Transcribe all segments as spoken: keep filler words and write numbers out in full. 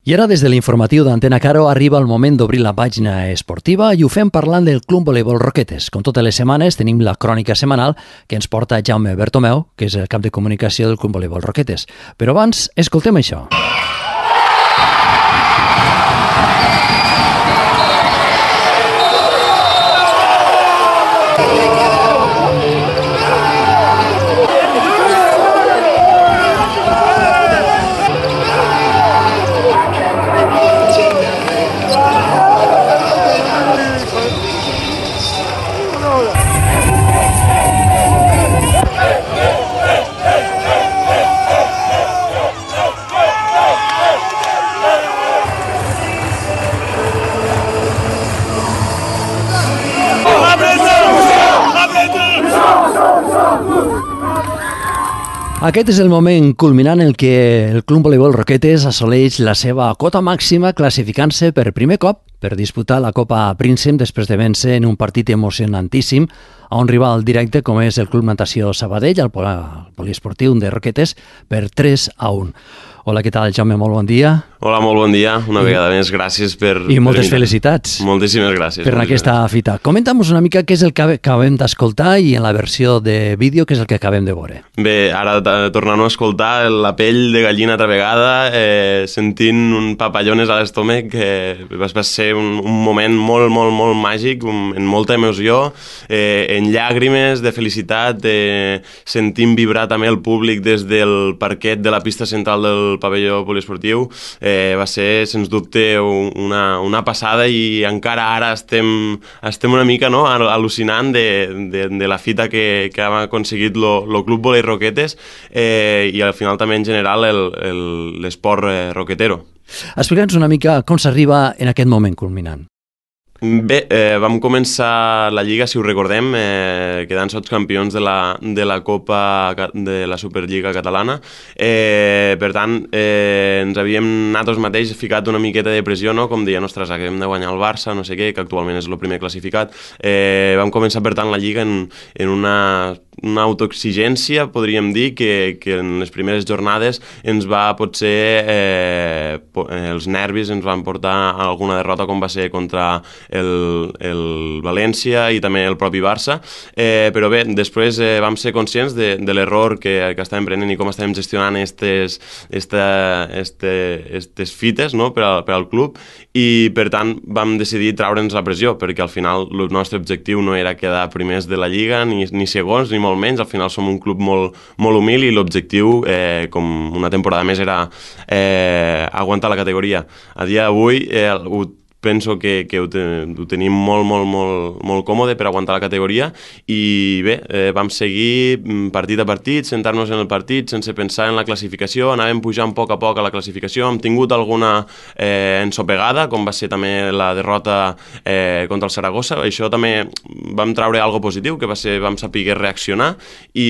I ara, des de l'informatiu d'Antena Caro, arriba el moment d'obrir la pàgina esportiva i ho fem parlant del Club Voleibol Roquetes. Com totes les setmanes, tenim la crònica setmanal que ens porta Jaume Bertomeu, que és el cap de comunicació del Club Voleibol Roquetes. Però abans, escoltem això. Aquest és el moment culminant en què el Club Voleibol Roquetes assoleix la seva cota màxima classificant-se per primer cop per disputar la Copa Príncep després de vèncer en un partit emocionantíssim a un rival directe com és el Club Natació Sabadell, el poliesportiu de Roquetes, per tres a un. Hola, què tal, Jaume? Molt bon dia. Hola, molt bon dia. Una I, vegada més, gràcies per... I moltes per felicitats. Moltíssimes gràcies. Per aquesta fita. Comenta'm una mica què és el que acabem d'escoltar i en la versió de vídeo què és el que acabem de veure. Bé, ara tornant a escoltar la pell de gallina altra vegada, eh, sentint un papallones a l'estómac, que va, va ser un, un moment molt, molt, molt màgic, un, en molta emoció, eh, en llàgrimes de felicitat, eh, sentint vibrar també el públic des del parquet de la pista central del pavelló poliesportiu. Eh, va ser, sens dubte, una, una passada i encara ara estem, estem una mica no, al·lucinant de, de, de la fita que, que ha aconseguit el Club Voleibol Roquetes eh, i al final també en general l'esport eh, roquetero. Explica'ns una mica com s'arriba en aquest moment culminant. Bé, eh, vam començar la Lliga, si ho recordem, eh, quedant sots campions de la, de la Copa de la Superliga catalana. Eh, per tant, eh, ens havíem nosaltres mateix ficat una miqueta de pressió, no? Com deia, ostres, acabem de guanyar el Barça, no sé què, que actualment és el primer classificat. Eh, vam començar, per tant, la Lliga en, en una, una autoexigència, podríem dir, que, que en les primeres jornades ens va, potser, eh, els nervis ens van portar a alguna derrota, com va ser contra El, el València i també el propi Barça, eh, però bé, després eh, vam ser conscients de, de l'error que, que estàvem prenent i com estàvem gestionant estes, esta, este, estes fites no? per, a, per al club i per tant vam decidir traure'ns la pressió perquè al final el nostre objectiu no era quedar primers de la Lliga ni, ni segons ni molt menys, al final som un club molt, molt humil i l'objectiu, eh, com una temporada més, era eh, aguantar la categoria. A dia d'avui eh, ho penso que, que ho, ten, ho tenim molt, molt, molt, molt còmode per aguantar la categoria i bé, eh, vam seguir partit a partit, sentar-nos en el partit sense pensar en la classificació, anàvem pujant a poc a poc a la classificació, hem tingut alguna eh, ensopegada, com va ser també la derrota eh, contra el Saragossa, això també vam traure algo positiu, que va ser, vam saber reaccionar i,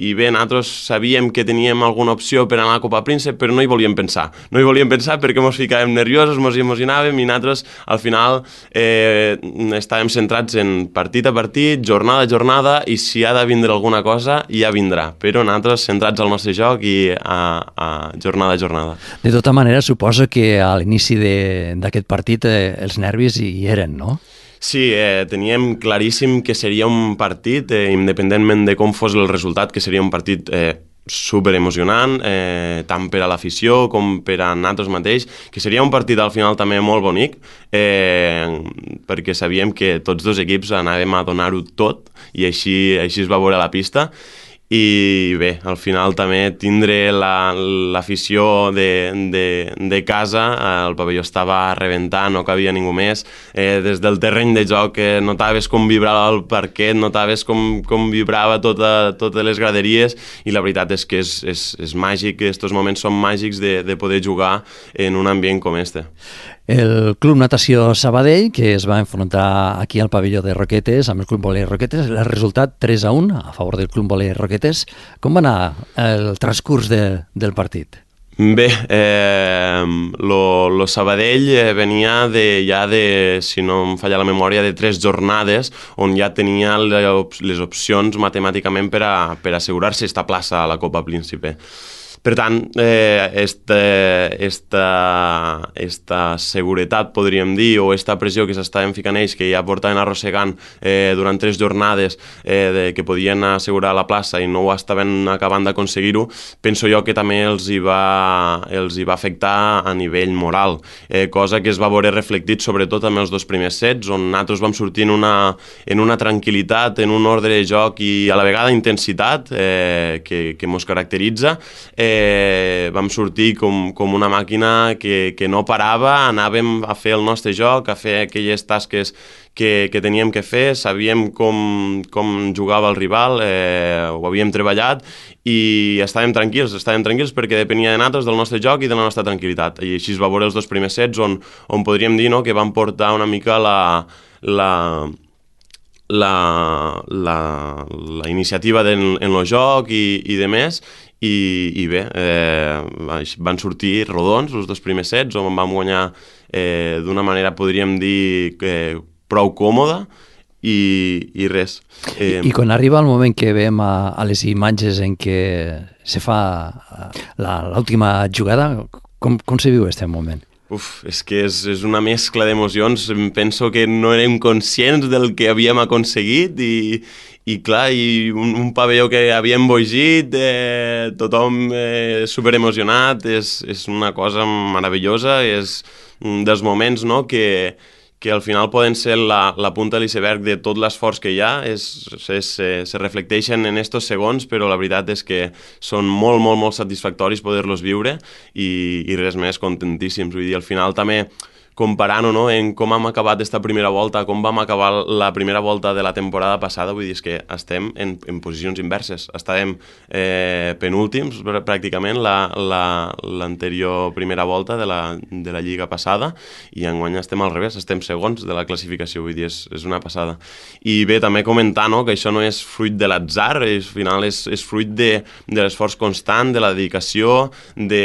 i bé, nosaltres sabíem que teníem alguna opció per anar a la Copa Príncep, però no hi volíem pensar, no hi volíem pensar perquè ens ficàvem nerviosos, ens emocionàvem i nosaltres al final eh, estàvem centrats en partit a partit, jornada a jornada i si ha de vindre alguna cosa ja vindrà, però nosaltres centrats al nostre joc i a, a jornada a jornada. De tota manera, suposo que a l'inici d'aquest partit eh, els nervis hi eren, no? Sí, eh, teníem claríssim que seria un partit, eh, independentment de com fos el resultat, que seria un partit eh, super emocionant, eh, tant per a l'afició com per a nosaltres mateix, que seria un partit al final també molt bonic, eh, perquè sabíem que tots dos equips anàvem a donar-ho tot i així, així es va veure a la pista. I bé, al final també tindre l'afició la, de, de, de casa, el pavelló estava a rebentar, no cabia ningú més, eh, des del terreny de joc eh, notaves com vibrava el parquet, notaves com, com vibrava tota, totes les graderies i la veritat és que és, és, és màgic, aquests moments són màgics de, de poder jugar en un ambient com este. El Club Natació Sabadell, que es va enfrontar aquí al pavelló de Roquetes, amb el Club Voleibol Roquetes, el resultat tres a un a favor del Club Voleibol Roquetes. Com va anar el transcurs de, del partit? Bé, eh, lo, lo Sabadell venia de, ja de, si no em falla la memòria, de tres jornades on ja tenia les opcions matemàticament per a, per assegurar-se esta plaça a la Copa Príncipe. Per tant, eh, esta, esta, esta seguretat, podríem dir, o esta pressió que s'estaven ficant ells, que ja portaven arrossegant eh, durant tres jornades eh, de, que podien assegurar la plaça i no ho estaven acabant d'aconseguir-ho, penso jo que també els hi va, els hi va afectar a nivell moral, eh, cosa que es va veure reflectit sobretot amb els dos primers sets, on nosaltres vam sortir en una, en una tranquil·litat, en un ordre de joc i a la vegada intensitat eh, que, que mos caracteritza. Eh, vam sortir com, com una màquina que, que no parava, anàvem a fer el nostre joc, a fer aquelles tasques que, que teníem que fer, sabíem com, com jugava el rival, eh, ho havíem treballat i estàvem tranquils, estàvem tranquils perquè depenia de nosaltres, del nostre joc i de la nostra tranquil·litat. I així es va veure els dos primers sets on, on podríem dir, no?, que vam portar una mica la, la, la, la, la iniciativa de, en el joc i, i de més. I, i bé, eh, van sortir rodons els dos primers sets, on vam guanyar eh, d'una manera, podríem dir, eh, prou còmoda i, i res. Eh... I, I quan arriba el moment que veiem a, a les imatges en què se fa l'última jugada, com, com se viu aquest moment? Uf, és que és, és una mescla d'emocions. Penso que no érem conscients del que havíem aconseguit i, i clar, i un, un pavelló que havíem bogit, eh, tothom eh, superemocionat, és, és una cosa meravellosa, és un dels moments, no?, que, que al final poden ser la, la punta de l'iceberg de tot l'esforç que hi ha, és, és, eh, se reflecteixen en estos segons, però la veritat és que són molt, molt, molt satisfactoris poder-los viure i, i res més, contentíssims. Vull dir, al final també comparant-ho, no?, en com hem acabat aquesta primera volta, com vam acabar la primera volta de la temporada passada, vull dir, és que estem en, en posicions inverses. Estàvem eh, penúltims, pràcticament, l'anterior la, primera volta de la, de la lliga passada, i enguany estem al revés, estem segons de la classificació, vull dir, és, és una passada. I bé, també comentar, no?, que això no és fruit de l'atzar, al final és, és fruit de, de l'esforç constant, de la dedicació, de,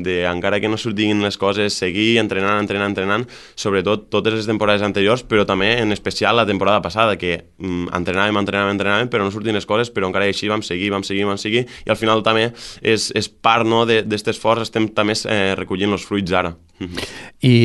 de, encara que no sortiguin les coses, seguir entrenant, entrenant, entrenant, sobretot totes les temporades anteriors, però també en especial la temporada passada, que mm, entrenàvem, entrenàvem, entrenàvem, però no sortien les coses, però encara així vam seguir, vam seguir, vam seguir, i al final també és, és part, no, d'aquest esforç, estem també eh, recollint els fruits ara. I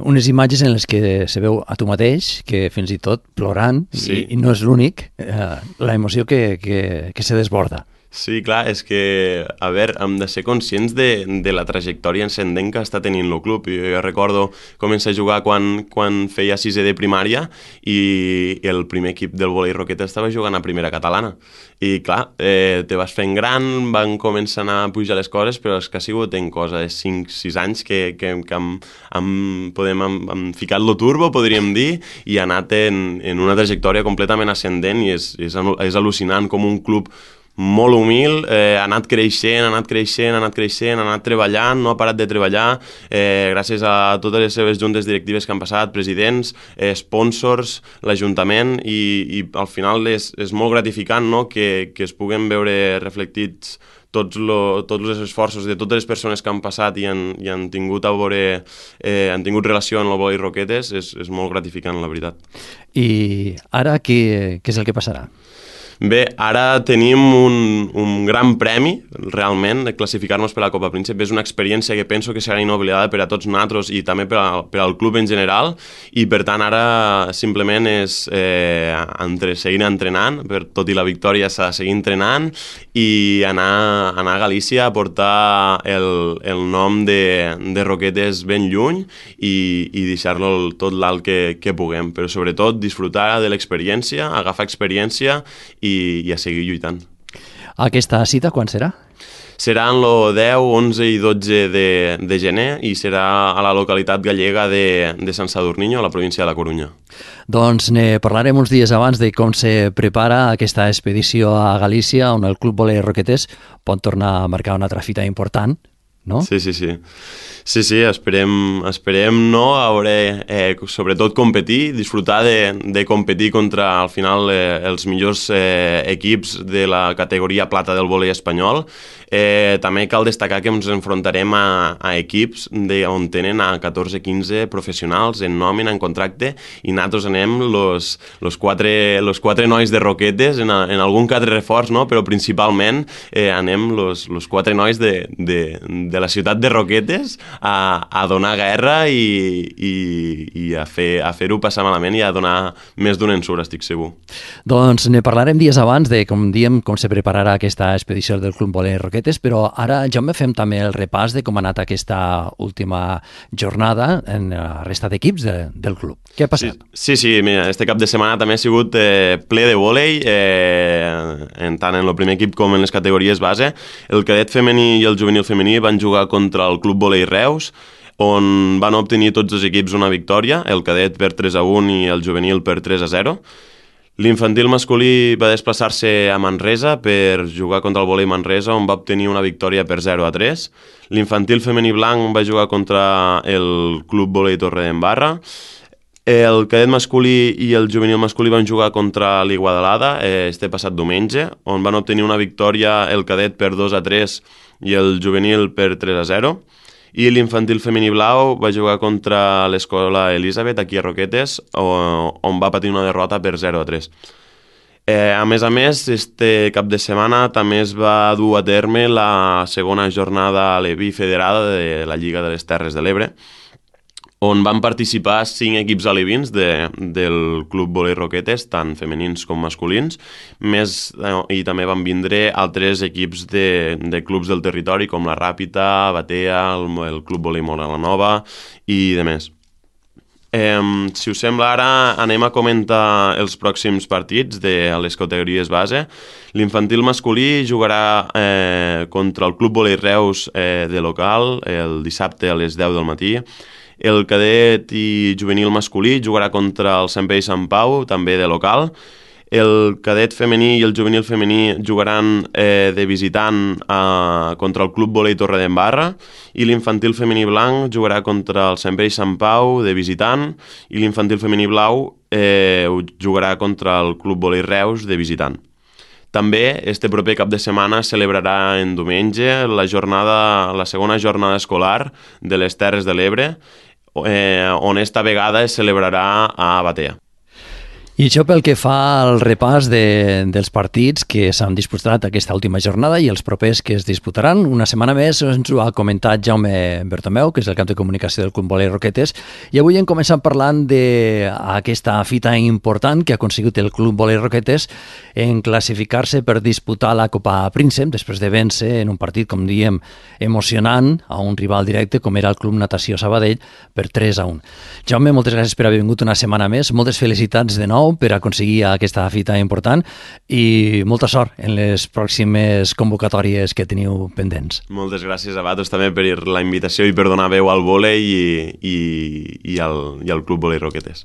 unes imatges en les que se veu a tu mateix, que fins i tot plorant, sí. i, i no és l'únic, eh, la emoció que, que, que se desborda. Sí, clar, és que, a veure, hem de ser conscients de, de la trajectòria ascendent que està tenint el club. Jo, jo recordo començar a jugar quan, quan feia sisè de primària i el primer equip del vòlei Roquetes estava jugant a primera catalana. I clar, eh, te vas fent gran, van començar a pujar les coses, però és que ha sigut en cosa de cinc sis anys que, que, que hem, hem, podem, hem, hem ficat lo turbo, podríem dir, i ha anat en, en una trajectòria completament ascendent i és, és, és al·lucinant com un club molt humil, eh, ha anat creixent, ha anat creixent, ha anat creixent, ha anat treballant, no ha parat de treballar, eh, gràcies a totes les seves juntes directives que han passat, presidents, eh, sponsors, l'Ajuntament, i, i al final és, és molt gratificant, no?, que, que es puguen veure reflectits tots, lo, tots els esforços de totes les persones que han passat i han, i han tingut a veure, eh, han tingut relació amb el vòlei Roquetes, és, és molt gratificant, la veritat. I ara què, què és el que passarà? Bé, ara tenim un, un gran premi, realment, de classificar-nos per la Copa Príncep. És una experiència que penso que serà inoblidada per a tots nosaltres i també per, a, per al club en general, i per tant ara simplement és eh, entre, seguir entrenant, per, tot i la victòria s'ha de seguir entrenant i anar, anar a Galícia a portar el, el nom de, de Roquetes ben lluny i, i deixar-lo tot l'alt que, que puguem, però sobretot disfrutar de l'experiència, agafar experiència i, i a seguir lluitant. Aquesta cita quan serà? Serà en el deu, onze i dotze de, de gener i serà a la localitat gallega de, de Sant Sadurniño, a la província de la Corunya. Doncs ne parlarem uns dies abans de com se prepara aquesta expedició a Galícia, on el Club Vòlei Roquetes pot tornar a marcar una altra fita important no? Sí, sí, sí. Sí, sí, esperem, esperem no, a veure, eh, sobretot competir, disfrutar de, de competir contra, al final, eh, els millors eh, equips de la categoria plata del vòlei espanyol. Eh, també cal destacar que ens enfrontarem a, a equips de, on tenen a catorze quinze professionals en nòmina, en contracte, i nosaltres anem los, los, quatre, los quatre nois de Roquetes, en, a, en algun que altre reforç, no? Però principalment eh, anem los, los quatre nois de, de, de la ciutat de Roquetes a, a donar guerra i, i, i a fer a fer-ho passar malament i a donar més d'un ensurt, estic segur. Doncs ne parlarem dies abans de, com diem, com se prepararà aquesta expedició del Club Vòlei Roquetes, però ara, Jaume, fem també el repàs de com ha anat aquesta última jornada en la resta d'equips de, del club. Què ha passat? Sí, sí, sí, mira, este cap de setmana també ha sigut eh, ple de vòlei, eh, en tant en el primer equip com en les categories base. El cadet femení i el juvenil femení van jugar contra el Club Vòlei Reus, on van obtenir tots els equips una victòria, el cadet per tres a un i el juvenil per tres a zero. L'infantil masculí va desplaçar-se a Manresa per jugar contra el vòlei Manresa, on va obtenir una victòria per zero a tres. L'infantil femení blanc va jugar contra el Club Vòlei Torredembarra. El cadet masculí i el juvenil masculí van jugar contra l'Iguadalada eh, este passat diumenge, on van obtenir una victòria el cadet per dos a tres i el juvenil per tres a zero. I l'infantil femení blau va jugar contra l'Escola Elisabet, aquí a Roquetes, on va patir una derrota per zero a tres. Eh, a més a més, este cap de setmana també es va dur a terme la segona jornada aleví federada de la Lliga de les Terres de l'Ebre, on van participar cinc equips alevins de, del Club Vòlei Roquetes, tant femenins com masculins, més, eh, i també van vindre altres equips de, de clubs del territori, com la Ràpita, Batea, el, el Club Vòlei Mora la Nova i de més. Eh, si us sembla, ara anem a comentar els pròxims partits de les categories base. L'infantil masculí jugarà eh, contra el Club Vòlei Reus eh, de local el dissabte a les deu del matí. El cadet i juvenil masculí jugarà contra el Sant Pere i Sant Pau, també de local. El cadet femení i el juvenil femení jugaran eh, de visitant eh, contra el Club Vòlei Torredembarra, i l'infantil femení blanc jugarà contra el Sant Pere i Sant Pau de visitant, i l'infantil femení blau eh, jugarà contra el Club Vòlei Reus de visitant. També, este proper cap de setmana celebrarà en diumenge la jornada, la segona jornada escolar de les Terres de l'Ebre, eh, on esta vegada es celebrarà a Batea. I això pel que fa al repàs de, dels partits que s'han disputat aquesta última jornada i els propers que es disputaran. Una setmana més ens ho ha comentat Jaume Bertomeu, que és el cap de comunicació del Club Vòlei Roquetes, i avui hem començat parlant d'aquesta fita important que ha aconseguit el Club Vòlei Roquetes en classificar-se per disputar la Copa Príncep, després de vèncer en un partit, com diem, emocionant a un rival directe com era el Club Natació Sabadell per tres a un. Jaume, moltes gràcies per haver vingut una setmana més, moltes felicitats de nou per aconseguir aquesta fita important i molta sort en les pròximes convocatòries que teniu pendents. Moltes gràcies a vosaltres també per la invitació i per donar veu al vòlei i, i, i, al, i al Club Vòlei Roquetes.